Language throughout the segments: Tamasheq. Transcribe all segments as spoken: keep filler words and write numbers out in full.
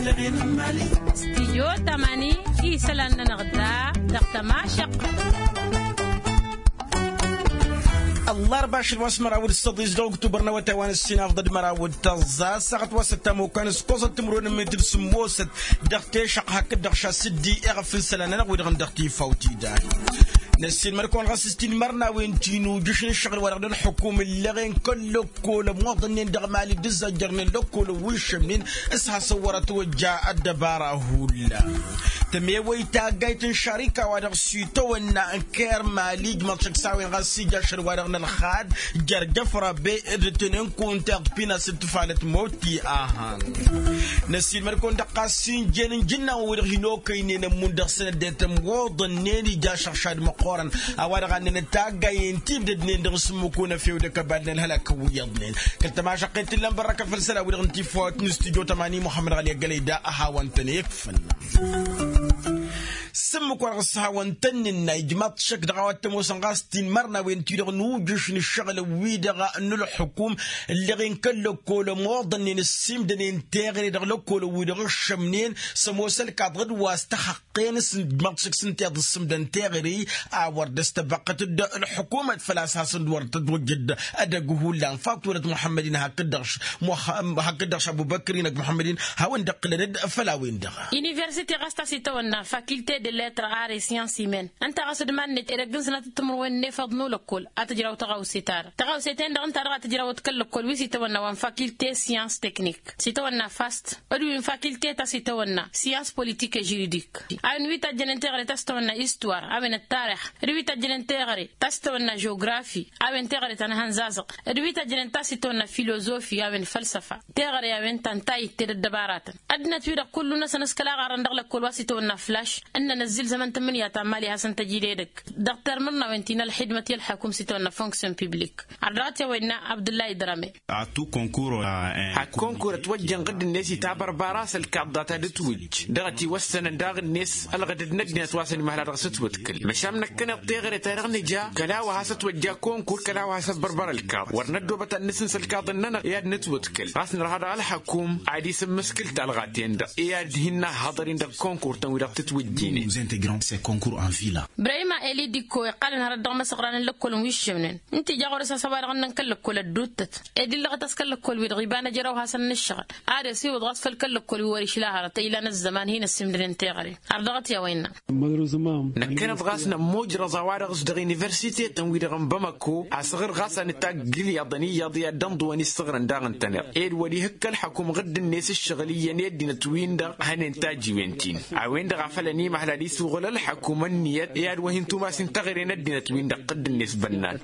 Stijyo tamani isălan-nănăɣ da dăɣ-tămašăqqăt. Ăllarba ašăl wa s-măraw d-săḍis dăɣ-uktubăr n-awătay wa n-ăssinafḍăd măraw d-tăẓẓa s-aɣăt wa s-ăttam okăn s-koẓăt timǝrwen n-metǝl sǝmmosăt dăɣ-tešăɣ hakd-dăɣ šasǝddi iɣăf n-isălan-nănăɣ wi-dăɣ n-dăɣ-tifawt idan. Năssiilmăd-kăwăn ɣas s-tinmărnawen ti n-ujǝš n-ǝššăɣǝl wa dăɣ-nălxukum ǝllăɣen kăl-lăkkol ămoḍănnen dăɣ-mali d-ǝzzajjărnen lăkkol ăwwǝššămnen s-hasăn-wăr ătwăjja ăddăbara hullan. Tămewăy taggayt n-šarika wa dăɣ-s itawănna n-kermali ijmăḍ šăkk s-a-wen ɣas ija ašăl wa dăɣ-nălxad jer-jăf rabe d-tǝnen kunta iɣpin a-s d-tǝfalăt moti ahan. Năssiilmăd-kăwăn-dăɣ ɣas s-injen n-ijǝnnawăn wi-dăɣ hin-okăynen ămmun dăɣ-săn ăddinăt ămwăḍănnen ija ašăɣšad măqqoorăn a-wa dăɣ-annănăt taggayen timdădnen dăɣ-s ǝmmǝk unăfew d-ăkăbal n-ălhălak wi iyyăḍnen. Kăl-tămašăqqet t-illa n-bărrăkăfăl isălan-wi-dăɣ n-tifawt n-studyo tămani muhămmăd ɣali ăggălăy da a hawăn-tăn-ikfăn. S-ǝmmǝk wa dăɣ-s hawăn-tăn-nǝnna ijmaḍ-t šăkk dăɣ-a-wa t-ămoosăn ɣas tinmărnawen-ti-dăɣ n-ujǝš n-ǝššăɣǝlăn-wi-dăɣ n-ǝlxǝkum ǝlleɣ-in kăl-lăkkol ămoḍănnen ǝssimdănen teɣăre dăɣ-lăkkolăn-wi-dăɣ ǝššămnen s-ămoos ălkaḍ d-wa s-tăxăqqen s-ǝnjmaḍ šăkk s-ǝnta i-ad-ǝssǝmdăn teɣăre a wăr dd-ăstăbăqqăt d-ălḥukumăt făl-a-s hasăn-dd wăr tătwăjjăd edăgg hullan fakturăt muḥămmăd-in hakd-dăɣ hakd-dăɣ šabubăkr-in ăgg muḥămmăd-in hawăn-dd-ăqqǝlăn-dd făll-a-wen-dăɣ. Universite ɣas ta s-itawănna fakilte de letr are science humaine ǝnta ɣas d-iman-net edăgg n-sănatăt timǝrwen n-efăḍ n-ulăkkol a tǝjraw tăɣawse-ta-dăɣ tăɣawse-ten-dăɣ ǝnta-dăɣ a tǝjrawăt kăl-lăkkol wi s-itawănna wa n-fakilte science technique s-itawănna fast d-wi n-fakilte ta s-itawănna science politique et juridique a-wen wi tajjănen teɣăre ta s-itawănna istuwar a-wen ăttarix d-wi tajjănen teɣăre ta s-itawănna žografi a-wen teɣăre ta n-ehăn zazăɣ d-wi tajjănen ta s-itawănna filozofi a-wen fălsăfa teɣăre a-wen ta n-tayǝtte d-ăddăbaratăn. Ăddinăt-wi-dăɣ kullu-năsăn s-kăla ɣarrăn dăɣ-lăkkol wa s-itawănna flaš ǝnnăn ăzzilzămăn tǝmmǝnǝya ta n-mali a hasăn-tăj idedăgg dăɣ-termărnawen ti n-ălxidmăt i-ălḥakum s-itawănna fonction publik. Ărdăɣăt i-a-wa innă abdullah idrame. Hak konkur ătwăjjăn ɣǝdd-net itabărbara s-ălkaḍ data d-ǝtwǝjj dăɣ-ătiwăssănăn daɣ-net ălɣădăd n-ăddinăt wa s-ănimăhla dăɣ-s ǝtwǝtkǝl măšan năkkăneḍ teɣăre-ta-dăɣ nǝja kăla wa has-ătwăjja konkur kăla wa has-ăbbărbăr ălkaḍ wăr năddobăt ad-nǝsǝns ălkaḍ-nănăɣ i-ad-nǝtwǝtkǝl ɣas nărha dăɣ-ălxăkum ad-isǝmmǝskǝl talɣa-ten-dăɣ i-ad-hin-nahhăḍăr-in dăɣ-konkur-tăn wi-dăɣ tǝtwǝjjinen. Brahima elidikko iqqalăn hărăt dăɣ-imăsăɣran n-lăkkolăn wi ǝššămnen ǝnta ija ɣur-s a-s a-wa-dăɣ ǝnnăn kăl-lăkkol ădduuttăt ed illăɣăt a-s kăl-lăkkol-wi-dăɣ iba n-ajăraw hasăn-nǝššăɣǝl ad-ăsiwǝḍ ɣas făll-kăl-lăkkol wi wăr-išla hărăt ilan ăzzăman hin-ăssimdănen teɣăre. Ardăɣăt i-a-wa innă. Năkkăneḍ ɣas nămmujrăẓ a-wa-dăɣ s-dăɣ-universitetăn-wi-dăɣ n-bamăko asăɣr ɣas a nǝtagg ǝlyaḍăn iyyăḍ i-ad-dd-ănḍǝwăn issăɣrăn daɣ ǝntăneḍ ed wăr-ihǝkk ălḥăkum ɣǝdd-net ǝššăɣǝl iyyăn i-ăddinăt-win-dăɣ hănen tajiwen-tin a-wen-dăɣ a făl ănimăhla ad-isuɣǝl ălḥăkum ănniyăt i-ad-wăhin tumasin taɣre n-ăddinăt-win-dăɣ ɣǝdd-net bănnan.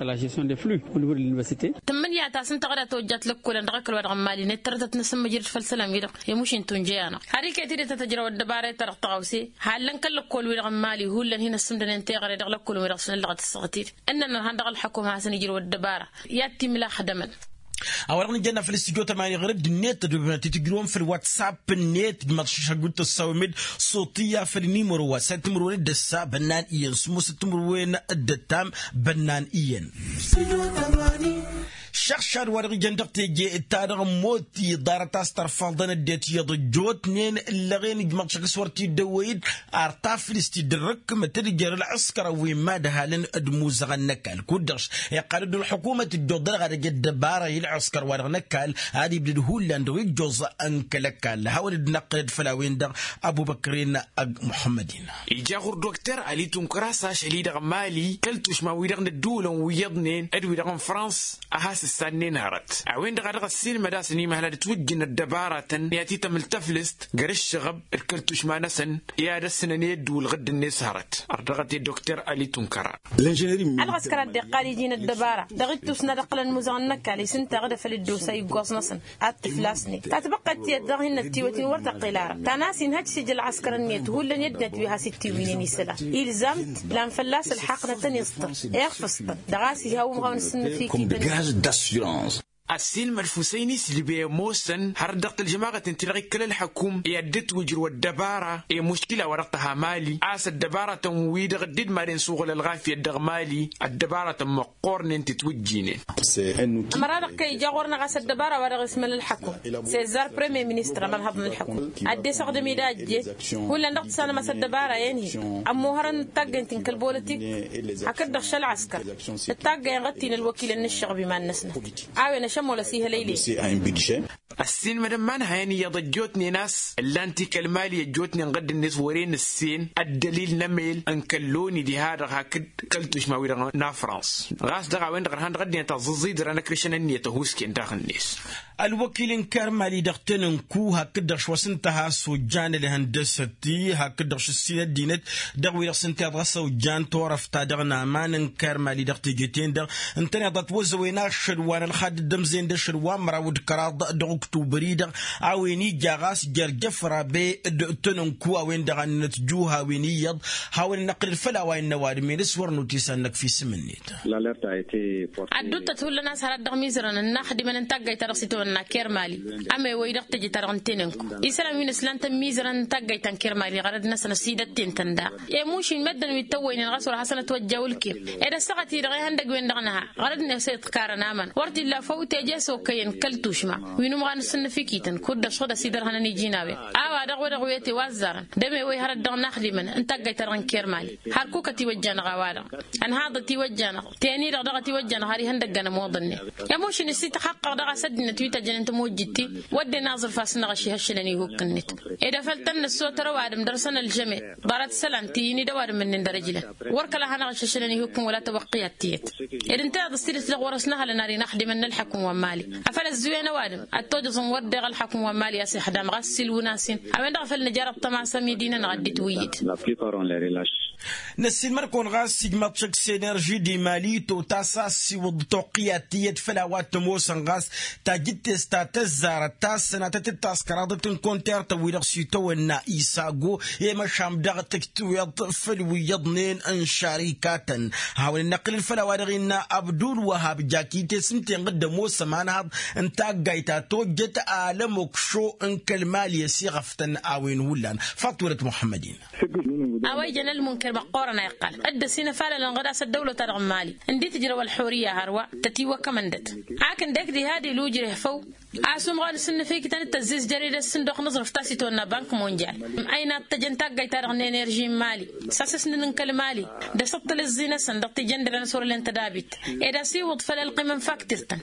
Tǝmmǝnǝya ta s-ǝnta ɣǝd a tawăjjat lăkkolăn dăɣ-ăkall wa dăɣ-n mali net tărătăt n-asǝmmǝjrăd făll-isălan-wi-dăɣ i-mušin tunjăy-anăɣ har iket-i d-tăt-ăjrăw ăddăbara i-ta-dăɣ tăɣawse hallăn kăl-lăkkol-wi-dăɣ n-mali hullan hin-ăssǝmdănen teɣăre dăɣ-lăkkolăn-wi-dăɣ s-nǝllăɣăt ǝssăɣăt-dd ǝnnăn ărhan dăɣ-ălḥăkum a hasăn-ijrăw ăddăbara i-ad-t-imla xădămăn. A-wa-dăɣ nǝjănna făll-studyo tămani ɣur-dd-net tădobem ad-t-tǝjrǝwăm făll-whatsapp-net ijmăḍ šăšăggut tăssawem-dd soṭiyya făll-inimăro wa săr timǝrwen d-ăssa bănnan iyyăn sǝmmosăt timǝrwen d-ăttam bănnan iyyăn. Šăɣšad wa-dăɣ ijăn dăɣ-teje ta dăɣ-mot iḍarăt a-s tărfăḍăn ăddinăt iyyăḍ ăjjootnen ǝllăɣen ijmăḍ šăkk s-wăr t-dd-ăwwăy-dd ar taflǝst-dd ărrǝkkǝmăt d-jer ălɣǝskărăn wi n-imadhalăn d-imuzăɣăn n-ăkall kud-dăɣ iqqal-dd ălḥukumăt ǝjjoḍ dăɣ-edăgg ăddăbara i-ălɣǝskăr wa-dăɣ n-ăkall ad-ibdăd hullan dăɣ-ijjoẓ n-kăl-ăkall hawăn-dd-năqqǝlăd făll-a-wen-dăɣ. Ăbubăkr-in ăgg muḥămmăd-in. Ija ɣur-dokter ali tunkăr a-s ašăl-i-dăɣ n-mali kăl-tušma-wi-dăɣ n-ădduulăn wi iyyăḍnen d-wi-dăɣ n-frans a has-ǝssannen hărăt a-wen-dăɣ a dăɣ-ăssiilmăd a-s ănimăhăl ad-ǝtwǝjjǝn ăddăbaratăn i-ad-t-itămǝl taflǝst gar ǝššăɣăb d-kăl-tušma-năsăn i-ad-ăssǝnăn i-ădduul ɣǝdd-net hărăt. Ărdăɣăt-e dokter ali tunkăra. Ălɣăskăr a dd-iqqal iji n-ăddăbara dăɣ-ittus n-ad-ǝqqǝlăn imuzăɣăn n-ăkall isǝnta ɣǝd afăl dd-osa iggoẓ-năsăn ad-t-ǝflasnen tatbăqqet tiyyăt daɣ hin-ăttiwăt-in wăr tăqqǝl ara ta n-a-s inhăj s-ija ălɣăskăr-net hullan i-ăddinăt wi has-ittiwǝynen isălan ilzam-t lan fălla-s ălḥaqq n-ad-tăn-iẓṭǝr. Iɣfǝẓ-tăn dăɣ-a-s iha umɣaw n-asǝnnǝf iket-net. Ăssiilmăd fusăyni s-lbe ămoosăn hărăt dăɣ-tălžămaɣăt n-ti-dăɣ ikkăl ălxăkum i-ad-dd-twǝjrǝw ăddăbara i-muškila wa dăɣ-tăha mali a-s ăddăbaratăn wi-dăɣ dd-madăn s-uɣǝl ălɣafyăt dăɣ-mali. Ăddăbaratăn măqqoornen tǝtwǝjjinen. Ămăra-dăɣ kăy-ija ɣur-năɣ a-s ăddăbara wa dăɣ-ismăl ălxăkum s-ezzar premier ministăr ămărhăḍ n-ălxăkum ad-dd-esăɣdăm-dd a ăjjeet. Hullan dăɣ-tǝssanăm a-s ăddăbara-en-hi ămmuhărăn d-taggăynt n-kăl-bolotik hakd-dăɣ šălɣăskăr d-taggăyăn ɣǝttin ălwăkilăn n-ǝššăɣb iman-năsnăt a-wen ašămol ăsihălăylen. Ăssiilmădăn imanhăyăn iyyăḍ ăjjootnen a-s ǝllan-t i-kăl-mali ăjjootnen ɣǝdd-net wăren ǝssen ăddălil n-emel n-kăl-loni diha-dăɣ hakd kăl-tušma-wi-dăɣ n-afrans. Ɣas dăɣ-a-wen-dăɣ ărhan dăɣ-ăddinăt ăẓẓăẓẓidărăn ăkrăšăn ǝnniyăt ăhuusken daɣ-net. Ălwăkil n-kăr mali dăɣ-tenănku hakd-dăɣ šwăs ǝnta a-s ojjan ălhăndăsăt-i hakd-dăɣ šǝssin ăddinăt dăɣ-wi-dăɣ s-ǝnta iḍa s-ojjan turăft-ta-dăɣ n-aman n-kăr mali dăɣ-teje-ten-dăɣ ǝntăneḍ ătwăzzăwen ašăl wa n-ălxad dd-ămzen d-ašăl wa n-măraw d-kăraḍ dăɣ-uktubăr-i-dăɣ. A-wen ija ɣas jer-jăfrabe d-tenănku a-wen-dăɣ a ǝnnănăt juhawen iyyăḍ hawăn-ănnăqqǝlăd făll-a-wa innă ăwadǝm-en s-wăr nutisan-năk fi isǝm-net. Ad-dd-uttăt hullan a-s hărăt dăɣ-imizărăn ănnaxdimăn n-taggayt-ta-dăɣ s-itawănna kermali ămewăy dăɣ-teje-ta-dăɣ n-tenănku isălan wi n-ǝslan-tăn imizărăn n-taggayt ta n-kermali ɣărăd-năsăn ăsidătten-tăn daɣ. I-mušin meddǝn wi t-ăwwăynen ɣas wăr hasăn-ătwăjja ulkem ed ăssaɣăt-i-dăɣ ihăndăgg-wen-dăɣ nǝha ɣărăd-net i-iḍkarăn aman wăr t-illa făw teje s-okăyăn kăl-tušma wi n-umɣan s-ǝnnǝfikităn kud-dăɣ šăɣ-dăɣ s-idărhănăn iji n-a-wen. A-wa-dăɣ wăr-dăɣ wete wa ăzzarăn d-emewăy hărăt dăɣ-inaxdimăn n-taggayt-ta-dăɣ n-kermali har kukăt iwăjja-năɣ a-wa-dăɣ ănhaḍăt iwăjja-năɣ teni-dăɣ dăɣ-t iwăjja-năɣ har ihăndăgg-anămoḍănnen. I-mušin ǝssităxăqqăɣ dăɣ-a-s ăddinăt wi tăjjănen tămojjit-ti wădden aẓrǝf a-s năɣăš ihăššălăn ihuk-net ed afăl tăn-nǝssotăr ăwadǝm dăr-săn ălžăme ḍarăt isălan ti-in-dd ăwadǝm-ǝnnin dăr-ǝjlăn. Wăr kăla ad-hanăɣ-iššăšălăn ihuk-in wăla tăwăqqǝyat tiyyăt ed ǝnta iyyăḍ s-tidǝt dăɣ-wăr-ăsnăhălăn ar inaxdimăn n-ălḥăkum wa n-mali afăl ăzzuwen ăwadǝm ad-tojăẓăn wăr deɣ ălḥăkum wa n-mali a-s ixdam ɣas s-ilwǝn-as-in. A-wen-dăɣ a făl nǝja dăɣ-tămasa midinăn-năɣ ad-dd-itwǝyyǝd. Năssiilmăr-kăwăn ɣas ijmaḍ-t šăkk s-enerži d-imali totas a ăssiwǝḍ toqqǝyat tiyyăt făll-a-wa t-ămoosăn ɣas tajǝttest ta tăzzarăt ta s-sănatăt d-taskăraḍăt n-konter-tăn-wi-dăɣ s-itawănna isago i-măšan dăɣ-tǝjtǝweḍt făll-wi iyyăḍnen n-šarikatăn. Hawăn-ănnăqqǝlăn făll-a-wa dăɣ-innă abdul wăhab jaki-te s-ǝnta-en dd-ămoos ămanhaḍ n-taggayt ta tojjăt alămokšo n-kăl-mali ăsiɣăftăn a-wen hullan. Faḍt wălăt muḥămmăd-in. A-wa ijăn ălmunker măqqoorăn a iqqal dd-ăsinăfalălăn ɣǝd a-s ăddăwlăt-ta-dăɣ n-mali ǝnda i-tǝjrăw ălxurǝyya hărwa tătiwăkkămăn-dăt. Ak ǝndek diha d-ilujreh făw a-s umɣan s-ǝnnǝfikǝtăn d-tăzzizjăr-i d-ăssǝndox n-aẓrǝf ta s-itwănna bank monjal. Ăynat tăjăn taggayt-ta-dăɣ n-enerži n-mali s-asǝsnǝn n-kăl-mali d-asǝṭṭǝl ǝẓẓi-năsăn dăɣ-tijăndăren s-wăr len tădabit ed asiwǝḍ făll-ălqim n-faktirtăn.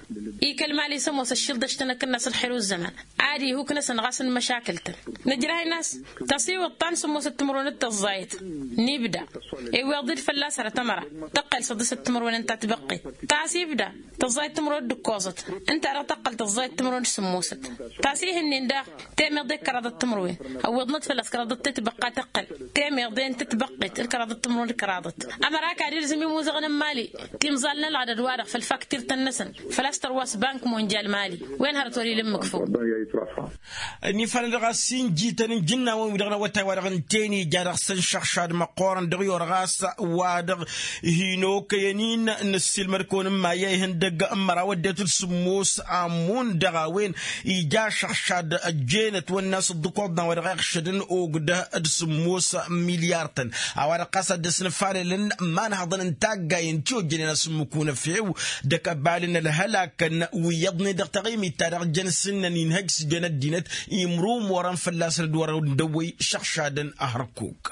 I-kăl-mali s-ămoos ăššilḍăš-tăn akǝnnas ălxir u-ǝzzăman ad-ihuk-năsăn ɣas n-măšakǝl-tăn. Nǝjrah-in a-s tăsiwǝḍ ta n-sǝmmosăt timǝrwen d-tăẓẓayăt n-ibda iwweḍ-dd fălla-s hărăt ămăra tăqqel săḍisăt timǝrwen ǝnta tibăqqet ta s-ibda tăẓẓayăt timǝrwen d-ǝkkoẓăt. Ǝnta-dăɣ tăqqăl tăẓẓayăt timǝrwen d-sǝmmosăt ta s-ih'-ǝnnin daɣ temeḍe d-kăraḍăt timǝrwen. Ăwweḍnăt fălla-s kăraḍăt tetbăqqa tăqqăl temeḍe n-tetbăqqet d-kăraḍăt timǝrwen d-kăraḍăt. Ămăra kăd-ilzǝm imuzăɣăn n-mali timẓal n-ălɣădăd-wa-dăɣ făll-faktirtăn-năsăn făl-a-s tărwas bank monjal mali. Wen hărăt wăr-ila ǝmmǝk făw. Ănifanăn dăɣ-a-s injităn n-ijǝnnawăn-wi-dăɣ n-awătay-wa-dăɣ ǝnta-en ija dăɣ-săn šăɣšad măqqoorăn dăɣ-i orɣas wa dăɣ-hin-okăyăn-in. Năssiilmăd-kăwăn n-maya ihăndăgg n-măraw ăddinăt d-sǝmmos amun dăɣ-a-wen ija šăɣšad ăjjeenăt wănna a-s ǝḍḍǝkoḍna wa dăɣ-iɣšădăn ogdăh d-sǝmmos milyar-tăn. A-wa-dăɣ ɣas ad-dd-ăsnăfalălăn imanhăḍăn n-taggay n-ti ojjănen asǝmmǝk unăfew d-akăbal n-ălhălakăn wi iyyăḍnen dăɣ-taɣimit-ta-dăɣ jăn s-ǝnnăn inhăj s-jăn ăddinăt imrumorăn fălla-săn d-wărăn dăwwăy šăɣšadăn. Ahărkuk.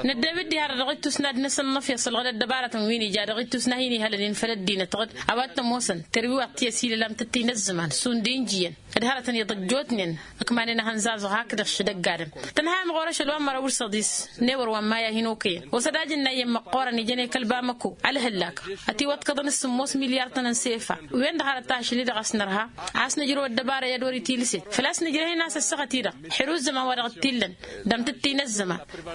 Năddew-dd diha-dăɣ dăɣ-ittusna d-năsăn n-afyăṣ ălɣăd ăddăbarătăn wi n-ija dăɣ-ittusna hin-ihălăn infăl ăddinăt ɣǝd a-wa t-ămoosăn tărwiwaḍt ti ăsilălam tǝttinăzzăman šund injiyăn d-hărătăn iḍăjjootnen. Ǝkmanen ahănzazăɣ hakdăɣ šădăgg adǝm tănhayăm ɣur-ašăl wa n-măraw d-săḍis n-ewăr wa n-maya hin-okăyăn osădaj n-a iyyăn măqqoorăn ijăn i-kăl-bamăko ălhǝllak ătiwăḍkăḍăn s-sǝmmos milyar-tăn n-sefa. Wen-dăɣ hărăt ta ašli-dăɣ a-s nărha a-s nǝjrăw ăddăbara i-ad-wăr-itilǝset făl-a-s nǝjrăh-in a-s ăssaɣăt-i-dăɣ ḥirǝw ăzzăman wa dăɣ-t-illăn d-amtǝttin ăzzăman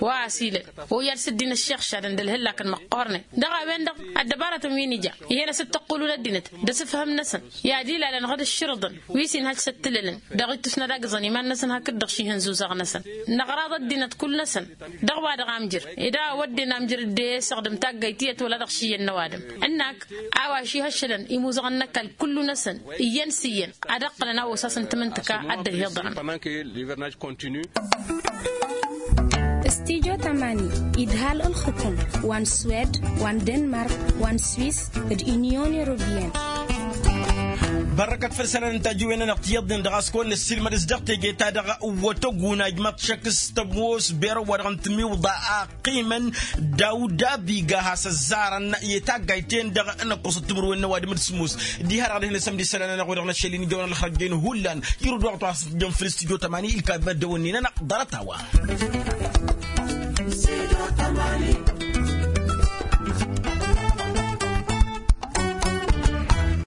wa ăsilăn. Oyyal s-dd-in ăššexšadăn d-ălhǝllakăn măqqoornen dăɣ-a-wen-dăɣ ăddăbarătăn wi n-ija ih'-en asǝttăqqulun ăddinăt d-asǝfhǝm-năsăn i-ad-ilalăn ɣǝd ǝššǝrǝḍăn wi s-inhăj ăttǝlălăn dăɣ-ittus n-ad-agǝẓăn iman-năsăn hakd-dăɣ šihăn zuzăɣ-năsăn. Năɣraḍ ăddinăt kull-năsăn dăɣ-wa-dăɣ amjăr ed a ăwwădden amjăr dd-e-săɣdǝm taggayt tiyyăt wăla dăɣ-išiyyăn n-ăwadǝm ǝnnak a-wa šihăššălăn imuzăɣăn n-ăkall kullu-năsăn iyyăn s-iyyăn ad-ǝqqǝlăn a osas n-tamǝntǝka a dd-ăhiḍărăn. Stijo tamani idhal ǝlxǝkum wa n-swed wa n-denmark wa n-swis d-inyon europiyăn. Bărrăkăt făll-isălan n-tajǝwen-nănăɣ tiyyăḍnen dăɣ-a-s kăwăn-nǝssilmăd s-dăɣ teje-ta-dăɣ wătăgunajmăt šăkk s-tămoos berăw wa dăɣ-n timiwḍa a ăqqimăn dawud abiga a has-ăzzarăn i-taggayt-en-dăɣ n-ăkkoẓăt timǝrwen n-ăwadǝm d-sǝmmos. Diha-dăɣ ad-dd-hin-ăsămd isălan-nănăɣ wa dăɣ-năšăl-in ijăwăn ălxărjăyăn hullan irǝd wa ɣ-tăwasăt jăn făll-s tijo tămani ilkab măddăwănni-nănăɣ ḍarăt-a-wa.